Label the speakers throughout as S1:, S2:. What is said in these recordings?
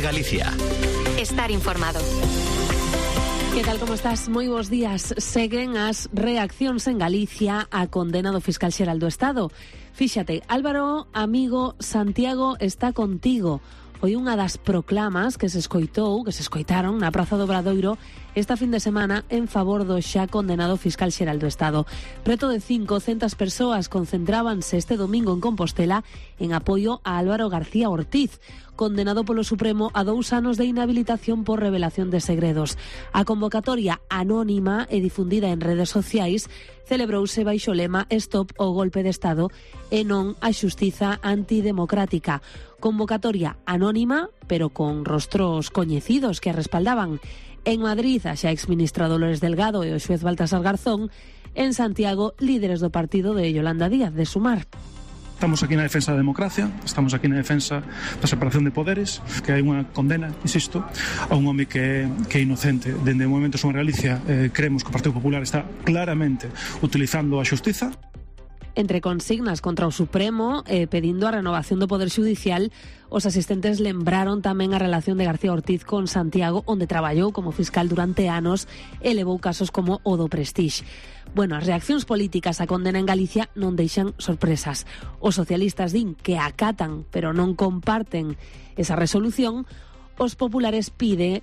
S1: Galicia.
S2: Estar informado.
S3: Que tal, como estás? Moi bons días. Seguen as reaccións en Galicia a condena do fiscal xeral do Estado. Fíxate, Álvaro, amigo, Santiago está contigo. Foi unha das proclamas que se escoitaron na Praza do Obradoiro esta fin de semana en favor do xa condenado fiscal xeral do Estado. Preto de 500 persoas concentrábanse este domingo en Compostela en apoio a Álvaro García Ortiz, condenado polo Supremo a 2 anos de inhabilitación por revelación de segredos. A convocatoria anónima e difundida en redes sociais celebrouse baixo o lema Stop o golpe de Estado e non a xustiza antidemocrática. Convocatoria anónima, pero con rostros coñecidos que a respaldaban. En Madrid, a xa exministra Dolores Delgado e o xuez Baltasar Garzón. En Santiago, líderes do partido de Yolanda Díaz, de Sumar.
S4: Estamos aquí na defensa da democracia, estamos aquí na defensa da separación de poderes, que hai unha condena, insisto, a un home que é inocente. Dende o Movemento Somos Galicia creemos que o Partido Popular está claramente utilizando a xustiza.
S3: Entre consignas contra o Supremo pedindo a renovación do Poder Xudicial, os asistentes lembraron tamén a relación de García Ortiz con Santiago, onde traballou como fiscal durante anos e levou casos como o do Prestige. Bueno, as reaccións políticas á condena en Galicia non deixan sorpresas. Os socialistas din que acatan, pero non comparten esa resolución. Os populares piden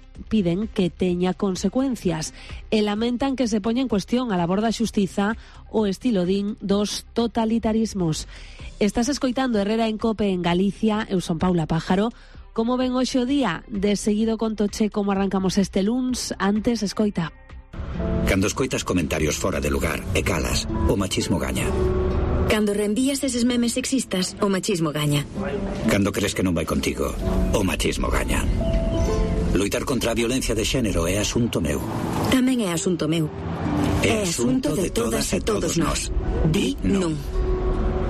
S3: que teña consecuencias e lamentan que se poña en cuestión a labor da xustiza o estilo dos totalitarismos. Estás escoitando Herrera en Cope en Galicia. Eu son Paula Pájaro. Como ven hoxe o día? De seguido contoche como arrancamos este luns. Antes, escoita.
S1: Cando escoitas comentarios fora de lugar e calas, o machismo gaña.
S2: Cando reenvías eses memes sexistas, o machismo gaña.
S1: Cando crees que non vai contigo, o machismo gaña. Loitar contra a violencia de xénero é asunto meu.
S2: Tamén é asunto meu.
S1: É asunto de todas e todos nós. Di non.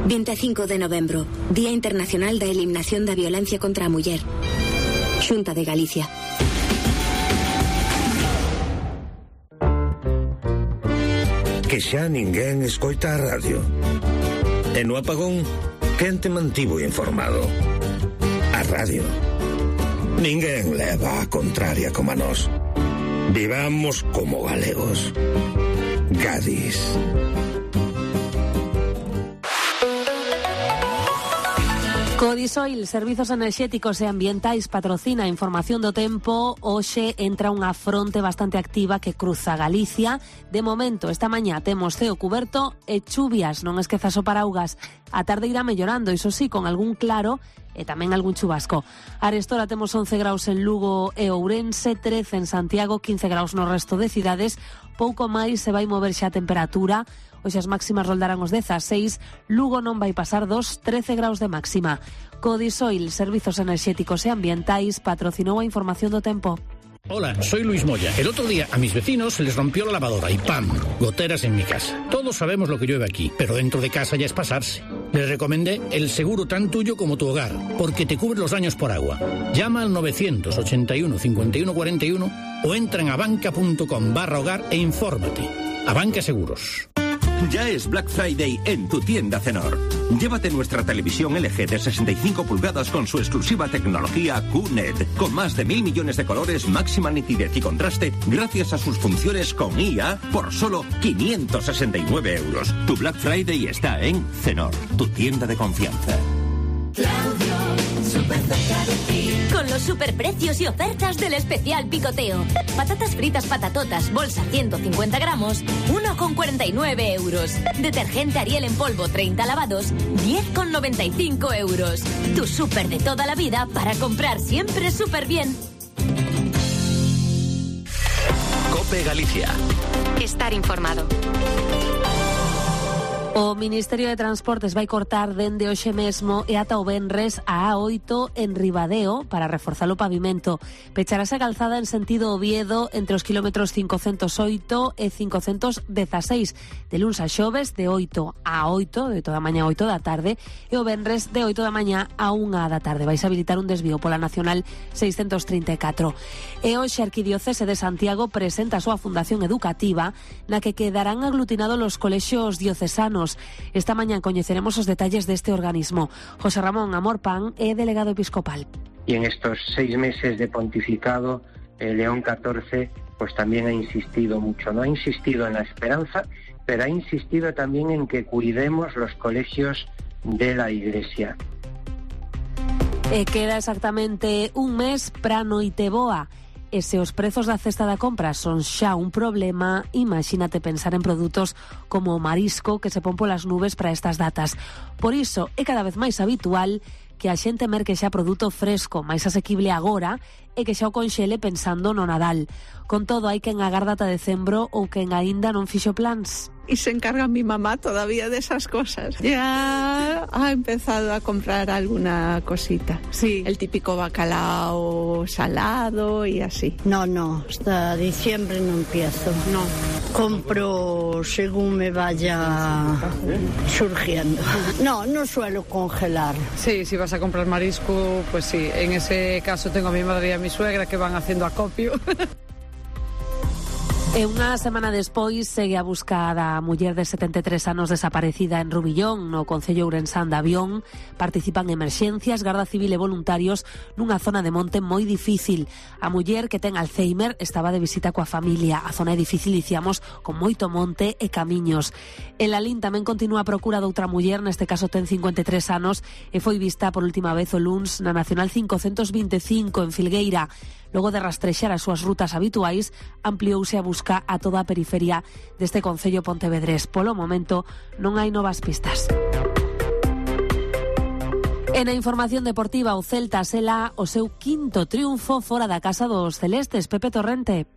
S2: 25 de novembro, Día Internacional da Eliminación da Violencia contra a Muller. Xunta de Galicia.
S5: Que xa ninguén escoita a radio. E no apagón, quen te mantivo informado? A radio. Ninguén leva a contraria como a nós. Vivamos como galegos. Gadis.
S3: Codisoil, Servizos Enerxéticos e Ambientais, patrocina a información do tempo. Hoxe entra unha fronte bastante activa que cruza Galicia. De momento, esta mañá temos ceo cuberto e chuvias, non esquezas o paraugas. A tarde irá mellorando, iso sí, con algún claro e tamén algún chubasco. Arestora temos 11 graus en Lugo e Ourense, 13 en Santiago, 15 graus no resto de cidades. Pouco máis se vai mover xa a temperatura. Hoxe as máximas roldarán os 16, Lugo non vai pasar dos 13 graus de máxima. Codisoil, Servizos Enerxéticos e Ambientais, patrocinou a información do tempo.
S6: Hola, soy Luis Moya. El otro día a mis vecinos se les rompió la lavadora y ¡pam! Goteras en mi casa. Todos sabemos lo que llueve aquí, pero dentro de casa ya es pasarse. Les recomendé el seguro tan tuyo como tu hogar, porque te cubre los daños por agua. Llama al 981 51 41 o entra en abanca.com/hogar e infórmate. Abanca Seguros.
S7: Ya es Black Friday en tu tienda Cenor. Llévate nuestra televisión LG de 65 pulgadas con su exclusiva tecnología QNED, con más de 1.000 millones de colores, máxima nitidez y contraste, gracias a sus funciones con IA, por solo 569 euros. Tu Black Friday está en Cenor, tu tienda de confianza.
S8: Claudio, súper cerca de ti.
S9: Con los superprecios y ofertas del especial picoteo. Patatas fritas patatotas, bolsa 150 gramos, 1,49 euros. Detergente Ariel en polvo 30 lavados, 10,95 euros. Tu súper de toda la vida para comprar siempre súper bien.
S1: Cope Galicia.
S2: Estar informado.
S3: O Ministerio de Transportes vai cortar dende hoxe mesmo e ata o venres a A8 en Ribadeo para reforzar o pavimento. Pecharase a calzada en sentido Oviedo entre os kilómetros 508 e 516 de luns a xoves de 8 a 8, de toda a mañá a 8 da tarde, e o venres de 8 da mañá a 1 da tarde. Vais a habilitar un desvío pola Nacional 634. E hoxe a Arquidiocese de Santiago presenta a súa fundación educativa na que quedarán aglutinados os colexios diocesanos. Esta mañá coñeceremos os detalles deste organismo. José Ramón Amor Pan é delegado episcopal.
S10: y en estos 6 meses de pontificado, León XIV pues también ha insistido mucho, no ha insistido en la esperanza, pero ha insistido también en que cuidemos los colegios de la Iglesia.
S3: Queda exactamente un mes para a Noiteboa. E se os prezos da cesta da compra son xa un problema, imagínate pensar en produtos como o marisco que se pon polas nubes para estas datas. Por iso é cada vez máis habitual que a xente merque xa produto fresco, máis asequible agora, e que xa o conxele pensando no Nadal. Con todo, hai quen agarda ata decembro ou quen aínda non fixo plans.
S11: Y se encarga mi mamá todavía de esas cosas. Ya ha empezado a comprar alguna cosita. Sí. El típico bacalao salado y así.
S12: No, hasta diciembre no empiezo.
S11: No.
S12: Compro según me vaya surgiendo. No suelo congelar.
S13: Sí, si vas a comprar marisco, pues sí. En ese caso tengo a mi madre y a mi suegra que van haciendo acopio.
S3: E unha semana despois segue a busca da muller de 73 anos desaparecida en Rubillón, no concello ourensán de Avión. Participan emerxencias, Garda Civil e voluntarios nunha zona de monte moi difícil. A muller, que ten Alzheimer, estaba de visita coa familia. A zona é difícil, dicíamos, con moito monte e camiños. En Lalín tamén continúa a procura doutra muller, neste caso ten 53 anos, e foi vista por última vez o luns na Nacional 525 en Filgueira. Logo de rastrexar as súas rutas habituais, ampliouse a busca a toda a periferia deste concello pontevedrés. Polo momento non hai novas pistas. E na información deportiva, o Celta sela o seu quinto triunfo fora da casa dos celestes. Pepe Torrente.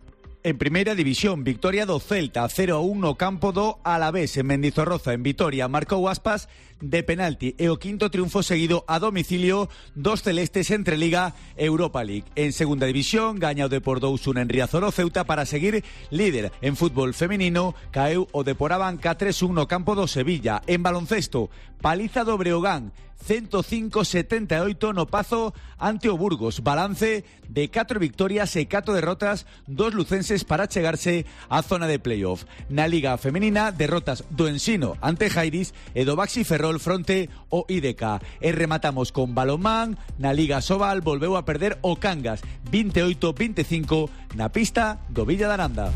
S14: En primeira división, victoria do Celta 0-1 no campo do Alavés en Mendizorroza. En Vitoria marcou Aspas de penalti e o quinto triunfo seguido a domicilio dos celestes entre Liga e Europa League. En segunda división, gaña o Depor 2-1 en Riazor o Ceuta para seguir líder. En fútbol femenino, caeu o Depor Abanca 3-1 no campo do Sevilla. En baloncesto, paliza do Breogán 105-78 no Pazo ante o Burgos. Balance de 4 victorias e 4 derrotas dos lucenses para chegarse á zona de playoff. Na Liga Femenina, derrotas do Ensino ante Jairis e do Baxi Ferrol fronte ao IDK. E rematamos con balonmán. Na Liga Sobal volveu a perder o Cangas 28-25 na pista do Villa de Aranda.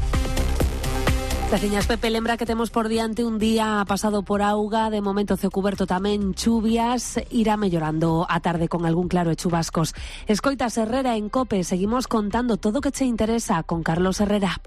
S3: Graciñas, Pepe. Lembra que temos por diante un día pasado por auga, de momento ceo cuberto tamén chuvias, irá mellorando a tarde con algún claro e chubascos. Escoitas Herrera en COPE, seguimos contando todo o que che interesa con Carlos Herrera.